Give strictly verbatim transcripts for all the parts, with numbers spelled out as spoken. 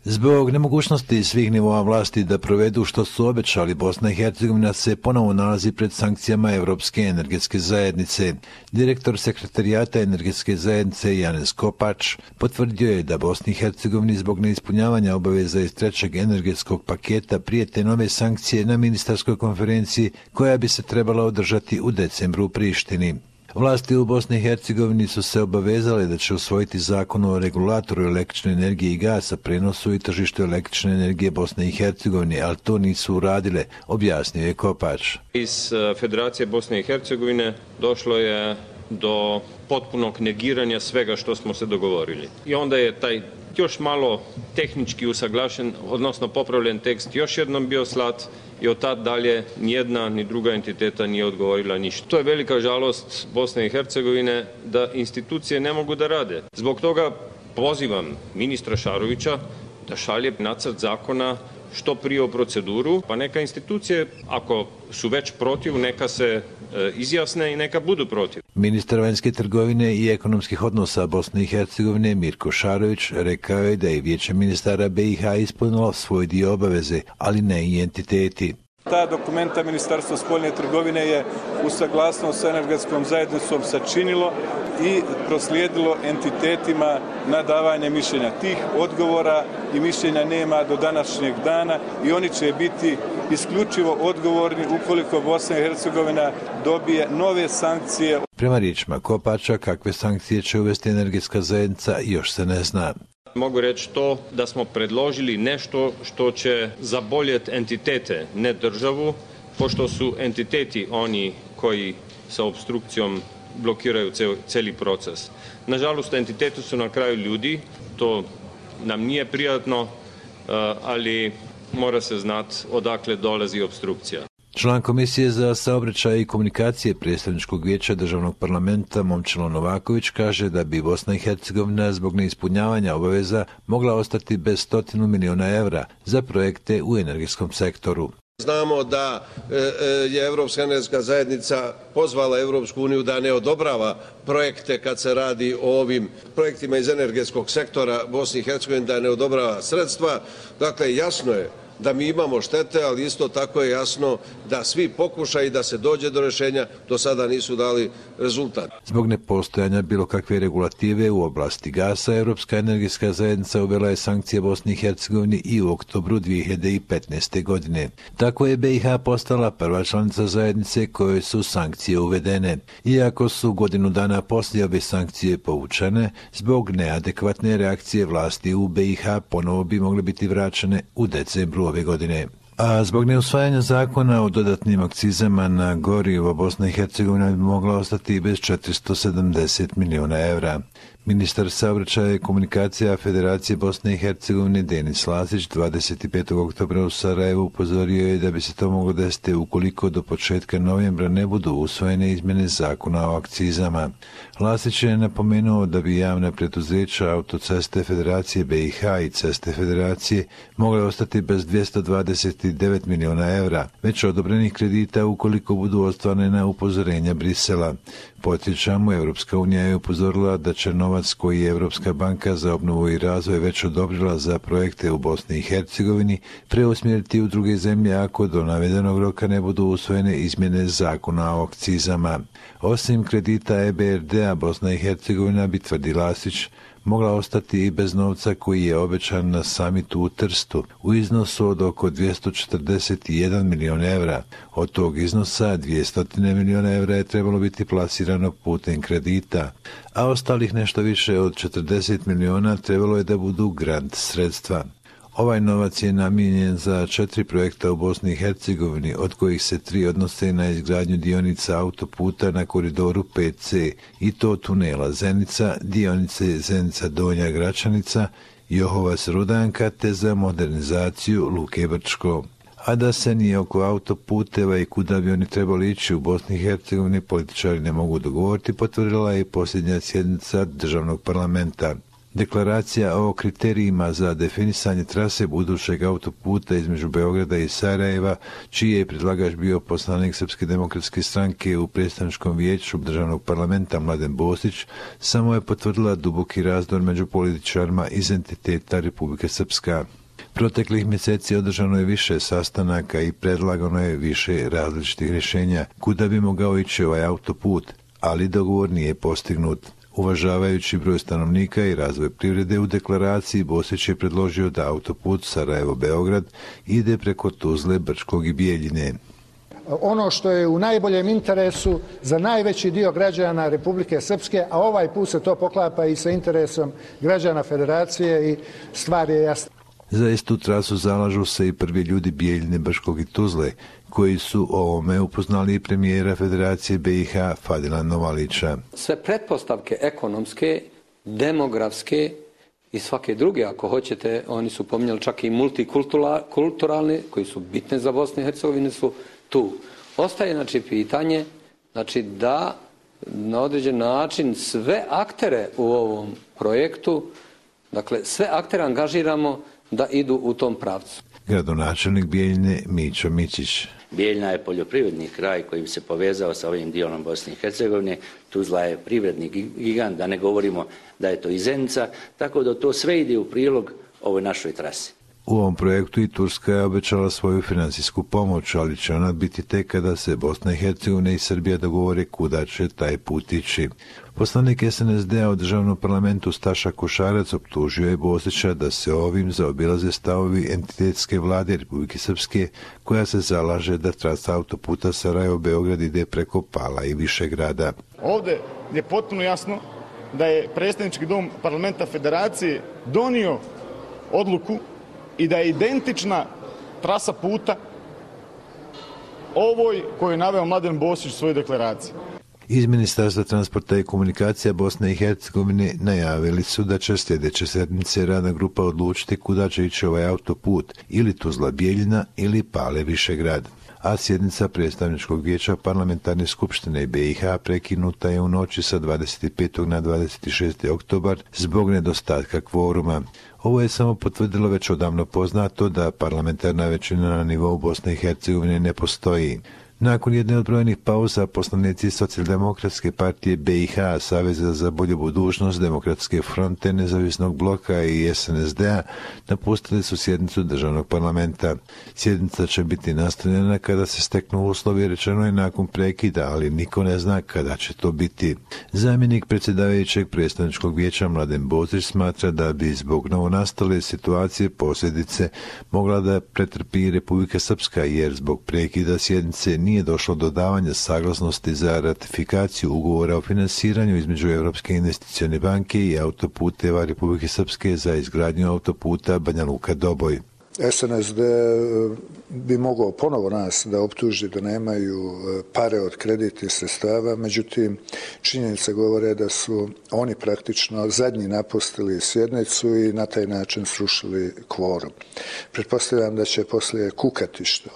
Zbog nemogućnosti svih nivoa vlasti da provedu što su obećali, Bosna i Hercegovina se ponovo nalazi pred sankcijama Europske energetske zajednice. Direktor sekretarijata energetske zajednice Janez Kopač potvrdio je da Bosni i Hercegovini zbog neispunjavanja obaveza iz trećeg energetskog paketa prijete nove sankcije na ministarskoj konferenciji koja bi se trebala održati u decembru u Prištini. Vlasti u Bosni i Hercegovini su se obavezale da će usvojiti zakon o regulatoru električne energije i gasa, prenosu i tržištu električne energije Bosne i Hercegovine, ali to nisu uradile, objasnio je Kopač. Iz Federacije Bosne i Hercegovine došlo je do potpunog negiranja svega što smo se dogovorili. I onda je taj još malo tehnički usaglašen, odnosno popravljen tekst još jednom bio slat i od tad dalje nijedna ni druga entiteta nije odgovorila ništa. To je velika žalost Bosne i Hercegovine da institucije ne mogu da rade. Zbog toga pozivam ministra Šarovića da šalje nacrt zakona što prije u proceduru, pa neka institucije, ako su već protiv, neka se e, izjasne i neka budu protiv. Ministar vanjske trgovine i ekonomskih odnosa Bosne i Hercegovine Mirko Šarović rekao je da je Vijeće ministara B i H ispunilo svoj dio obaveze, ali ne i entiteti. Ta dokumenta Ministarstva spoljne trgovine je u saglasnost sa energetskom zajednicom sačinilo i proslijedilo entitetima na davanje mišljenja. Tih odgovora i mišljenja nema do današnjeg dana i oni će biti isključivo odgovorni ukoliko Bosna i Hercegovina dobije nove sankcije. Prema riječima Kopača, kakve sankcije će uvesti energetska zajednica još se ne zna. Mogu reći to da smo predložili nešto što će zaboljeti entitete, ne državu, pošto su entiteti oni koji sa obstrukcijom blokiraju cijeli proces. Nažalost, entiteti su na kraju ljudi, to nam nije prijatno, ali mora se znati odakle dolazi obstrukcija. Član Komisije za saobraćaj i komunikacije predstavničkog vijeća državnog parlamenta Momčilo Novaković kaže da bi Bosna i Hercegovina zbog neispunjavanja obaveza mogla ostati bez stotinu miliona evra za projekte u energetskom sektoru. Znamo da je Europska energetska zajednica pozvala Europsku uniju da ne odobrava projekte kad se radi o ovim projektima iz energetskog sektora Bosne i Hercegovine, da ne odobrava sredstva. Dakle, jasno je da mi imamo štete, ali isto tako je jasno da svi pokušaji da se dođe do rješenja do sada nisu dali rezultat. Zbog nepostojanja bilo kakve regulative u oblasti gasa, Europska energetska zajednica uvela je sankcije Bosni i Hercegovini i u oktobru dvije hiljade petnaeste. godine. Tako je B i H postala prva članica zajednice kojoj su sankcije uvedene. Iako su godinu dana poslije ove sankcije povučene, zbog neadekvatne reakcije vlasti u B i H ponovo bi mogle biti vraćene u decembru ove godine. A zbog neusvajanja zakona o dodatnim akcizama na gorivo, Bosna i Hercegovina bi mogla ostati bez četiristo sedamdeset miliona evra. Ministar saobraćaja i komunikacija Federacije Bosne i Hercegovine Denis Lasić dvadeset petog oktobra u Sarajevu upozorio je da bi se to moglo desiti ukoliko do početka novembra ne budu usvojene izmjene zakona o akcizama. Lasić je napomenuo da bi javna preduzeća Autoceste Federacije B i H i Ceste Federacije mogle ostati bez dvjesto dvadeset devet miliona evra, već odobrenih kredita ukoliko budu ostvarena upozorenja Brisela. Podsjećamo, Europska unija je upozorila da će novac koji je Europska banka za obnovu i razvoj već odobrila za projekte u Bosni i Hercegovini preusmjeriti u druge zemlje ako do navedenog roka ne budu usvojene izmjene zakona o akcizama. Osim kredita E B R D-a, Bosna i Hercegovina bi, tvrdi Lasić, mogla ostati i bez novca koji je obećan na samitu u Trstu u iznosu od oko dvjesto četrdeset jedan miliona evra. Od tog iznosa dvjesto miliona evra je trebalo biti plasirano putem kredita, a ostalih nešto više od četrdeset miliona trebalo je da budu grant sredstva. Ovaj novac je namijenjen za četiri projekta u Bosni i Hercegovini, od kojih se tri odnose na izgradnju dionica autoputa na koridoru pet C, i to tunela Zenica, dionice Zenica Donja Gračanica, Johovac Rudanka, te za modernizaciju Luke Brčko. A da se ni oko autoputeva i kuda bi oni trebali ići u Bosni i Hercegovini političari ne mogu dogovoriti, potvrdila je i posljednja sjednica državnog parlamenta. Deklaracija o kriterijima za definisanje trase budućeg autoputa između Beograda i Sarajeva, čiji je predlagač bio poslanik Srpske demokratske stranke u predstavničkom vijeću državnog parlamenta Mladen Bosić, samo je potvrdila duboki razdor među političarima iz entiteta Republike Srpska. Proteklih mjeseci održano je više sastanaka i predlagano je više različitih rješenja kuda bi mogao ići ovaj autoput, ali dogovor nije postignut. Uvažavajući broj stanovnika i razvoj privrede, u deklaraciji Bosić je predložio da autoput Sarajevo-Beograd ide preko Tuzle, Brčkog i Bijeljine. Ono što je u najboljem interesu za najveći dio građana Republike Srpske, a ovaj put se to poklapa i sa interesom građana Federacije i stvar je jasna. Za istu trasu zalažu se i prvi ljudi Bijeljine, Brčkog i Tuzle, koji su o ovome upoznali i premijera Federacije B i H Fadila Novalića. Sve pretpostavke ekonomske, demografske i svake druge, ako hoćete, oni su pominjali čak i multikulturalne, koji su bitne za Bosnu i Hercegovinu, su tu. Ostaje znači pitanje znači da na određen način sve aktere u ovom projektu, dakle sve aktere angažiramo da idu u tom pravcu. Gradonačelnik Bijeljine Mićo Mićić. Bijeljina je poljoprivredni kraj koji bi se povezao sa ovim dijelom Bosne i Hercegovine. Tuzla je privredni gigant, da ne govorimo da je to i Zenica, tako da to sve ide u prilog ovoj našoj trasi. U ovom projektu i Turska je obećala svoju financijsku pomoć, ali će ona biti tek kada se Bosna i Hercegovina i Srbija dogovore kuda će taj put ići. Poslanik S N S D-a u državnom parlamentu Staša Košarac optužio je Bosića da se ovim zaobilaze stavovi entitetske vlade Republike Srpske, koja se zalaže da trasa autoputa Sarajevo-Beograd ide preko Pala i Višegrada. Ovdje je potpuno jasno da je predstavnički dom parlamenta Federacije donio odluku i da je identična trasa puta ovoj koju je naveo Mladen Bosić u svojoj deklaraciji. Iz Ministarstva transporta i komunikacija Bosne i Hercegovine najavili su da će sljedeće sedmice radna grupa odlučiti kuda će ići ovaj autoput, ili Tuzla Bijeljina ili Pale Višegrad. A sjednica predstavničkog vijeća parlamentarne skupštine B i H prekinuta je u noći sa dvadeset petog na dvadeset šesti oktobar zbog nedostatka kvoruma. Ovo je samo potvrdilo već odavno poznato da parlamentarna većina na nivou Bosne i Hercegovine ne postoji. Nakon jedne od brojnih pauza, poslanici Socijaldemokratske partije B i H, Saveza za bolju budućnost, Demokratske fronte, Nezavisnog bloka i S N S D-a napustili su sjednicu državnog parlamenta. Sjednica će biti nastavljena kada se steknu uslovi, rečeno je nakon prekida, ali niko ne zna kada će to biti. Zamjenik predsjedavajućeg predstavničkog vijeća Mladen Bosić smatra da bi zbog novonastale situacije posljedice mogla da pretrpi Republika Srpska, jer zbog prekida sjednice nije nije došlo do davanja saglasnosti za ratifikaciju ugovora o finansiranju između Europske investicione banke i autoputeva Republike Srpske za izgradnju autoputa Banja Luka-Doboj. S N S D bi mogao ponovo nas da optuži da nemaju pare od kreditnih sredstava, međutim činjenice govore da su oni praktično zadnji napustili sjednicu i na taj način srušili kvorum. Pretpostavljam da će poslije kukati što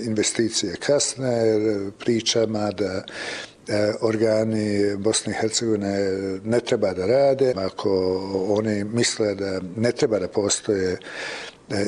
investicije kasne, pričama da organi Bosne i Hercegovine ne treba da rade. Ako oni misle da ne treba da postoje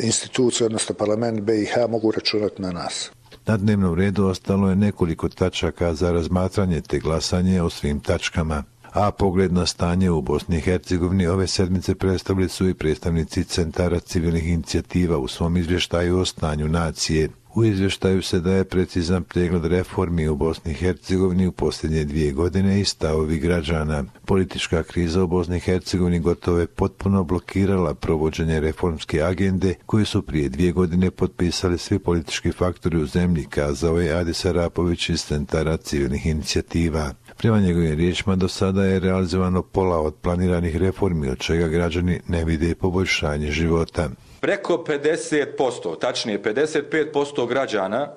institucije, odnosno parlament B i H, mogu računati na nas. Na dnevnom redu ostalo je nekoliko tačaka za razmatranje te glasanje o svim tačkama. A pogled na stanje u Bosni i Hercegovini ove sedmice predstavili su i predstavnici centara civilnih inicijativa u svom izvještaju o stanju nacije. U izvještaju se daje precizan pregled reformi u Bosni i Hercegovini u posljednje dvije godine i stavovi građana. Politička kriza u Bosni i Hercegovini gotovo je potpuno blokirala provođenje reformske agende koju su prije dvije godine potpisali svi politički faktori u zemlji, kazao je Adis Arapović iz centara civilnih inicijativa. Prema njegovim riječima do sada je realizovano pola od planiranih reformi, od čega građani ne vide poboljšanje života. Preko pedeset posto, tačnije pedeset pet posto građana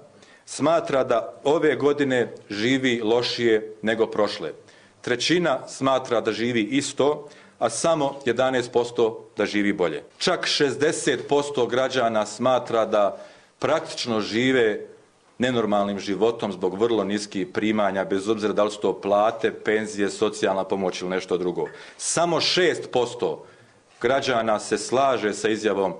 smatra da ove godine živi lošije nego prošle. Trećina smatra da živi isto, a samo jedanaest posto da živi bolje. Čak šezdeset posto građana smatra da praktično žive nenormalnim životom zbog vrlo niskih primanja, bez obzira da li su to plate, penzije, socijalna pomoć ili nešto drugo. Samo šest posto građana se slaže sa izjavom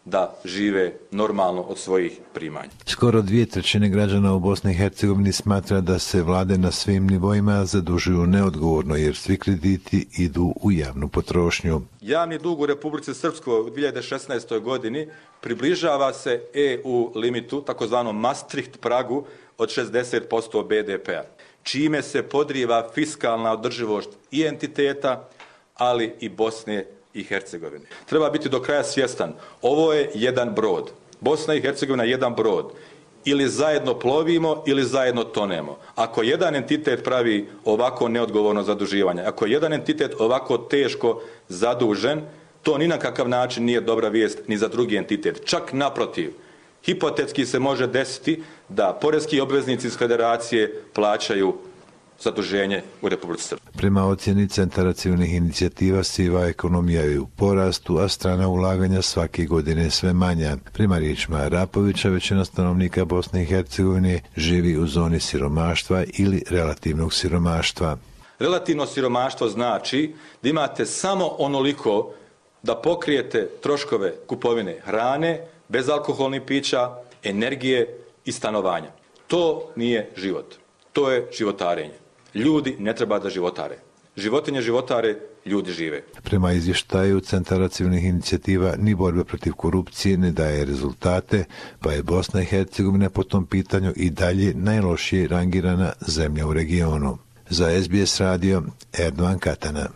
da žive normalno od svojih primanja. Skoro dvije trećine građana u Bosni i Hercegovini smatra da se vlade na svim nivoima zadužuju neodgovorno jer svi krediti idu u javnu potrošnju. Javni dug u Republici Srpskoj u dvije hiljade šesnaestoj. godini približava se E U limitu, takozvanom Maastricht pragu od šezdeset posto B D P-a, čime se podriva fiskalna održivost i entiteta, ali i Bosne i Hercegovine. Treba biti do kraja svjestan, ovo je jedan brod. Bosna i Hercegovina je jedan brod. Ili zajedno plovimo ili zajedno tonemo. Ako jedan entitet pravi ovako neodgovorno zaduživanje, ako je jedan entitet ovako teško zadužen, to ni na kakav način nije dobra vijest ni za drugi entitet. Čak naprotiv, hipotetski se može desiti da poreski obveznici iz federacije plaćaju zaduženje u Republici Srpskoj. Prema ocjeni Centara civilnih inicijativa, siva ekonomija je u porastu, a strana ulaganja svake godine sve manja. Prema riječima Arapovića, većina stanovnika Bosne i Hercegovine živi u zoni siromaštva ili relativnog siromaštva. Relativno siromaštvo znači da imate samo onoliko da pokrijete troškove kupovine hrane, bezalkoholnih pića, energije i stanovanja. To nije život. To je životarenje. Ljudi ne treba da životare. Životinje životare, ljudi žive. Prema izvještaju Centara civilnih inicijativa, ni borba protiv korupcije ne daje rezultate, pa je Bosna i Hercegovina po tom pitanju i dalje najlošije rangirana zemlja u regionu. Za S B S radio, Erdogan Katana.